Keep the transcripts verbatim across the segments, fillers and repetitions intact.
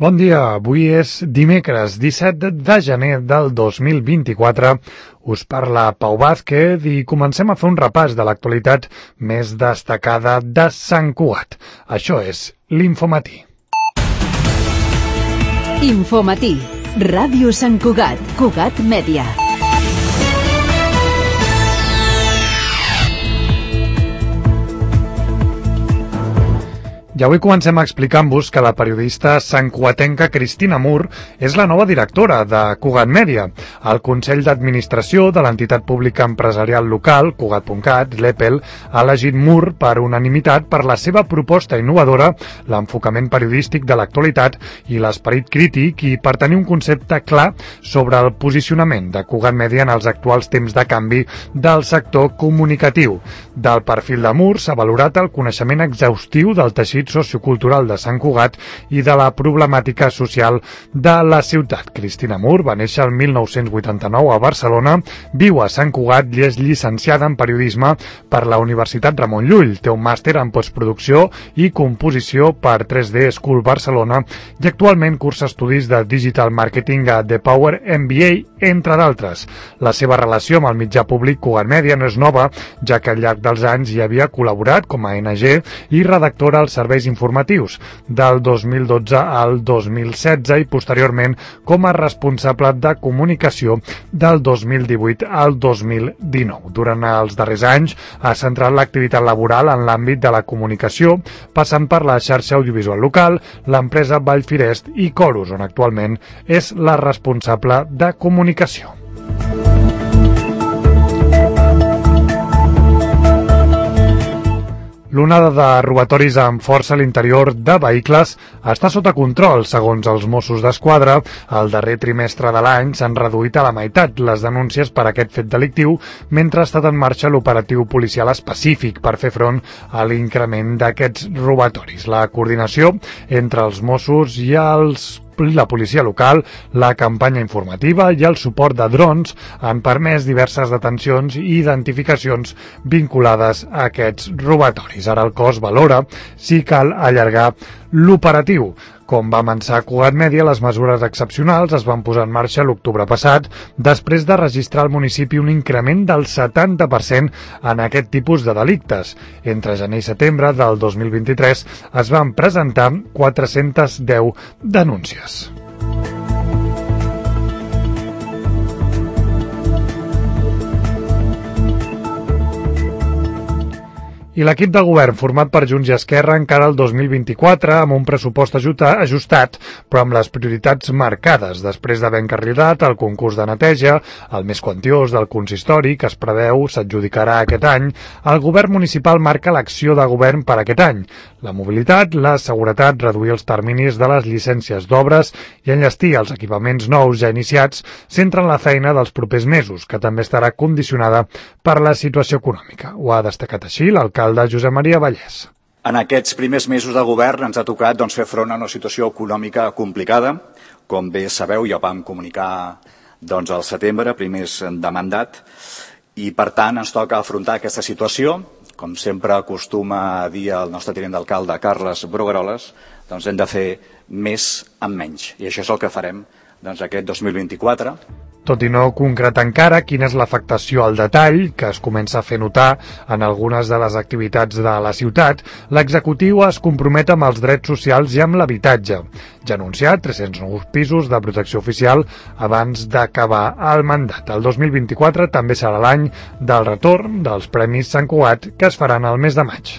Bon dia, avui és dimecres disset de gener del dos mil vint-i-quatre. Us parla Pau Vázquez i comencem a fer un repàs de l'actualitat més destacada de Sant Cugat. Això és l'Infomatí. Infomatí, Ràdio Sant Cugat, Cugat Mèdia. I avui comencem explicant-vos que la periodista santcugatenca Cristina Mur és la nova directora de Cugat Mèdia. El Consell d'Administració de l'entitat pública empresarial local, Cugat punt cat, l'E P E L, ha elegit Mur per unanimitat per la seva proposta innovadora, l'enfocament periodístic de l'actualitat i l'esperit crític i per tenir un concepte clar sobre el posicionament de Cugat Mèdia en els actuals temps de canvi del sector comunicatiu. Del perfil de Mur s'ha valorat el coneixement exhaustiu del teixit sociocultural de Sant Cugat i de la problemàtica social de la ciutat. Cristina Mur va néixer el mil nou-cents vuitanta-nou a Barcelona, viu a Sant Cugat i és llicenciada en periodisme per la Universitat Ramon Llull. Té un màster en postproducció i composició per tres D School Barcelona i actualment cursa estudis de Digital Marketing a The Power M B A, entre d'altres. La seva relació amb el mitjà públic Cugat Mèdia no és nova, ja que al llarg dels anys hi havia col·laborat com a N G i redactora als serveis informatius del dos mil dotze al dos mil setze i posteriorment com a responsable de comunicació del dos mil divuit al dos mil dinou. Durant els darrers anys ha centrat l'activitat laboral en l'àmbit de la comunicació, passant per la xarxa audiovisual local, l'empresa Vallfirest i Corus, on actualment és la responsable de comunicació. L'onada de robatoris amb força a l'interior de vehicles està sota control. Segons els Mossos d'Esquadra, el darrer trimestre de l'any s'han reduït a la meitat les denúncies per aquest fet delictiu, mentre ha estat en marxa l'operatiu policial específic per fer front a l'increment d'aquests robatoris. La coordinació entre els Mossos i els la policia local, la campanya informativa i el suport de drons han permès diverses detencions i identificacions vinculades a aquests robatoris. Ara el cos valora si cal allargar l'operatiu. Com va avançar Cugat Mèdia, les mesures excepcionals es van posar en marxa l'octubre passat, després de registrar al municipi un increment del setanta per cent en aquest tipus de delictes. Entre gener i setembre del dos mil vint-i-tres es van presentar quatre-centes deu denúncies. I l'equip de govern, format per Junts i Esquerra, encara el dos mil vint-i-quatre amb un pressupost ajustat, però amb les prioritats marcades. Després d'haver encarrilat el concurs de neteja, el més quantiós del consistori, que es preveu s'adjudicarà aquest any, el govern municipal marca l'acció de govern per aquest any. La mobilitat, la seguretat, reduir els terminis de les llicències d'obres i enllestir els equipaments nous ja iniciats centren la feina dels propers mesos, que també estarà condicionada per la situació econòmica. Ho ha destacat així l'alcalde de Josep Maria Vallès. En aquests primers mesos de govern ens ha tocat doncs, fer front a una situació econòmica complicada. Com bé sabeu, ja vam comunicar doncs, al setembre, primers de mandat, i per tant ens toca afrontar aquesta situació. Com sempre acostuma a dir el nostre tinent d'alcalde, Carles Brugueroles, doncs hem de fer més amb menys. I això és el que farem doncs, aquest dos mil vint-i-quatre. Tot i no concretar encara quina és l'afectació al detall, que es comença a fer notar en algunes de les activitats de la ciutat, l'executiu es compromet amb els drets socials i amb l'habitatge. Ja ha anunciat tres-cents nous pisos de protecció oficial abans d'acabar el mandat. El dos mil vint-i-quatre també serà l'any del retorn dels Premis Sant Cugat, que es faran al mes de maig.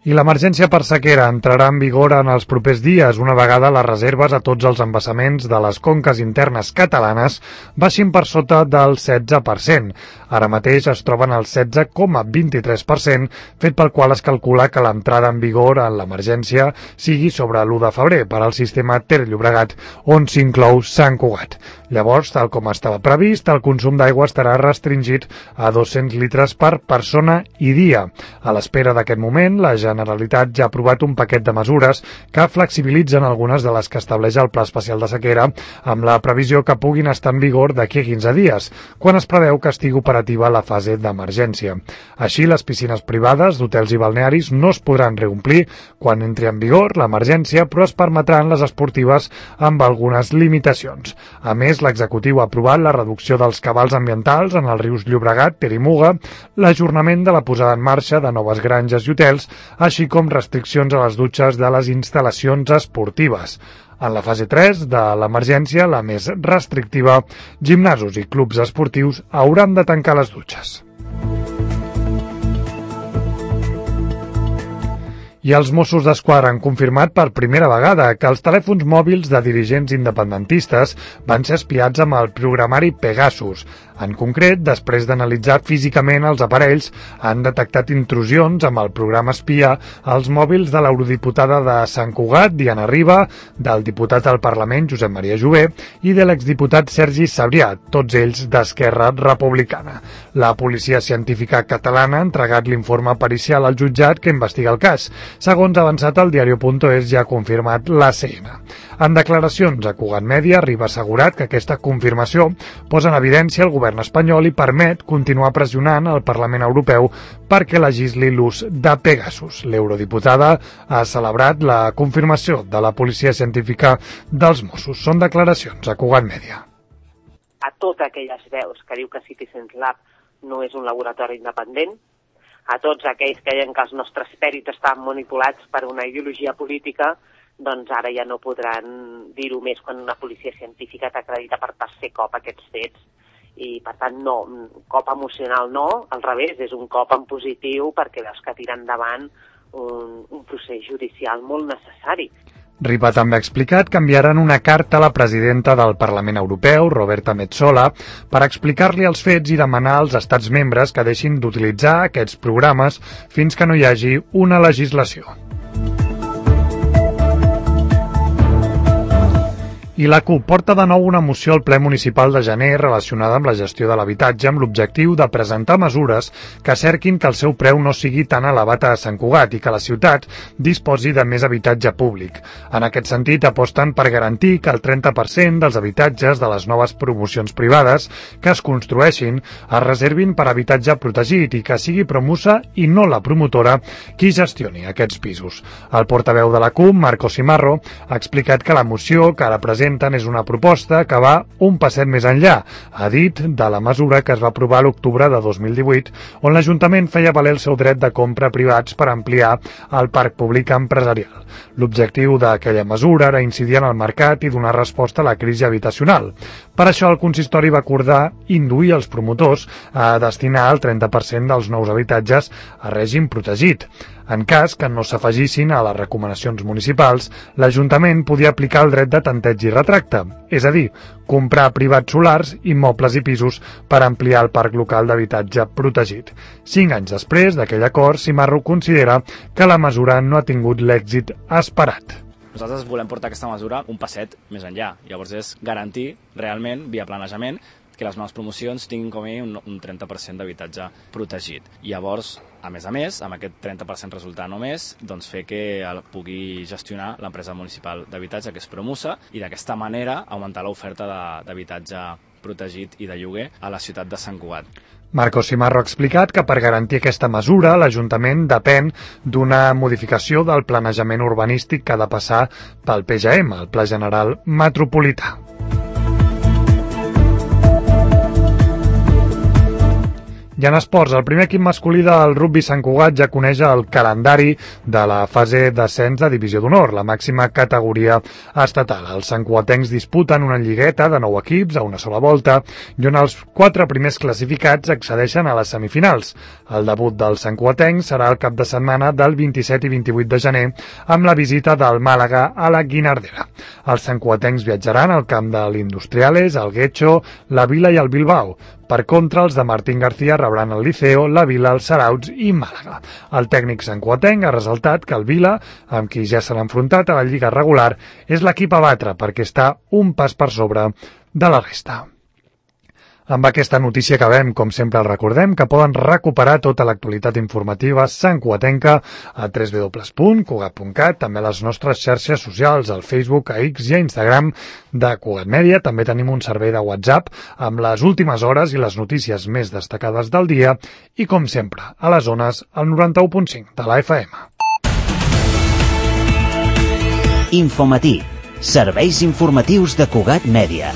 I l'emergència per sequera entrarà en vigor en els propers dies, una vegada les reserves a tots els embassaments de les conques internes catalanes baixin per sota del setze per cent. Ara mateix es troben al setze coma vint-i-tres per cent, fet pel qual es calcula que l'entrada en vigor en l'emergència sigui sobre l'u de febrer per al sistema Ter Llobregat, on s'inclou Sant Cugat. Llavors, tal com estava previst, el consum d'aigua estarà restringit a dos-cents litres per persona i dia. A l'espera d'aquest moment, la Generalitat Generalitat ja ha aprovat un paquet de mesures que flexibilitzen algunes de les que estableix el Pla Especial de Sequera, amb la previsió que puguin estar en vigor d'aquí a quinze dies, quan es preveu que estigui operativa la fase d'emergència. Així, les piscines privades d'hotels i balnearis no es podran reomplir quan entri en vigor l'emergència, però es permetran les esportives amb algunes limitacions. A més, l'executiu ha aprovat la reducció dels cabals ambientals en els rius Llobregat, Ter i Muga, l'ajornament de la posada en marxa de noves granges i hotels, així com restriccions a les dutxes de les instal·lacions esportives. En la fase tres de l'emergència, la més restrictiva, gimnasos i clubs esportius hauran de tancar les dutxes. I els Mossos d'Esquadra han confirmat per primera vegada que els telèfons mòbils de dirigents independentistes van ser espiats amb el programari Pegasus. En concret, després d'analitzar físicament els aparells, han detectat intrusions amb el programa espia als mòbils de l'eurodiputada de Sant Cugat, Diana Riba, del diputat al Parlament, Josep Maria Jové, i de l'exdiputat Sergi Sabrià, tots ells d'Esquerra Republicana. La policia científica catalana ha entregat l'informe pericial al jutjat que investiga el cas. Segons ha avançat el diario punt es, ja ha confirmat l'A C N. En declaracions a Cugat Mèdia, Riba ha assegurat que aquesta confirmació posa en evidència el govern espanyol i permet continuar pressionant el Parlament Europeu perquè legisli l'ús de Pegasus. L'eurodiputada ha celebrat la confirmació de la policia científica dels Mossos. Són declaracions a Cugat Mèdia. A totes aquelles veus que diu que Citizen Lab no és un laboratori independent, a tots aquells que deien que els nostres pèrits estan manipulats per una ideologia política, doncs ara ja no podran dir-ho més quan una policia científica t'acredita per tercer cop aquests fets. I, per tant, no, cop emocional no, al revés, és un cop en positiu perquè veus que tira endavant un, un procés judicial molt necessari. Riba també ha explicat que enviaran una carta a la presidenta del Parlament Europeu, Roberta Metsola, per explicar-li els fets i demanar als estats membres que deixin d'utilitzar aquests programes fins que no hi hagi una legislació. I la CUP porta de nou una moció al ple municipal de gener relacionada amb la gestió de l'habitatge amb l'objectiu de presentar mesures que cerquin que el seu preu no sigui tan elevat a Sant Cugat i que la ciutat disposi de més habitatge públic. En aquest sentit, aposten per garantir que el trenta per cent dels habitatges de les noves promocions privades que es construeixin es reservin per habitatge protegit i que sigui Promusa i no la promotora qui gestioni aquests pisos. El portaveu de la CUP, Marco Simarro, ha explicat que la moció que ara presenta és una proposta que va un passet més enllà, ha dit, de la mesura que es va aprovar a l'octubre de dos mil divuit, on l'Ajuntament feia valer el seu dret de compra privats per ampliar el parc públic empresarial. L'objectiu d'aquella mesura era incidir en el mercat i donar resposta a la crisi habitacional. Per això el consistori va acordar induir els promotors a destinar el trenta per cent dels nous habitatges a règim protegit. En cas que no s'afegissin a les recomanacions municipals, l'Ajuntament podia aplicar el dret de tanteig i retracte, és a dir, comprar privats solars, immobles i pisos per ampliar el parc local d'habitatge protegit. Cinc anys després d'aquell acord, Simarro considera que la mesura no ha tingut l'èxit esperat. Nosaltres volem portar aquesta mesura un passet més enllà. Llavors és garantir realment, via planejament, que les noves promocions tinguin com a mínim un trenta per cent d'habitatge protegit. Llavors, a més a més, amb aquest trenta per cent resultant només, doncs fer que el pugui gestionar l'empresa municipal d'habitatge, que és Promusa, i d'aquesta manera augmentar l'oferta d'habitatge protegit i de lloguer a la ciutat de Sant Cugat. Marco Simarro ha explicat que per garantir aquesta mesura l'Ajuntament depèn d'una modificació del planejament urbanístic que ha de passar pel P G M, el Pla General Metropolità. I en esports, el primer equip masculí del rugbi Sant Cugat ja coneix el calendari de la fase d'ascens de Divisió d'Honor, la màxima categoria estatal. Els santcugatencs disputen una lligueta de nou equips a una sola volta i on els quatre primers classificats accedeixen a les semifinals. El debut dels santcugatencs serà el cap de setmana del vint-i-set i vint-i-vuit de gener amb la visita del Màlaga a la Guinardera. Els santcugatencs viatjaran al camp de l'Industriales, el Guecho, la Vila i el Bilbao. Per contra, els de Martín García rebran el Liceo, la Vila, el Sarauts i Màlaga. El tècnic santcugatenc ha ressaltat que el Vila, amb qui ja s'ha enfrontat a la Lliga regular, és l'equip a batre perquè està un pas per sobre de la resta. Amb aquesta notícia acabem, com sempre el recordem, que poden recuperar tota l'actualitat informativa santcugatenca a w w w punt cugat punt cat, també a les nostres xarxes socials, al Facebook, a X i a Instagram de Cugat Mèdia. També tenim un servei de WhatsApp amb les últimes hores i les notícies més destacades del dia i, com sempre, a les zones al noranta-u punt cinc de la F M. Infomatí, serveis informatius de Cugat Mèdia.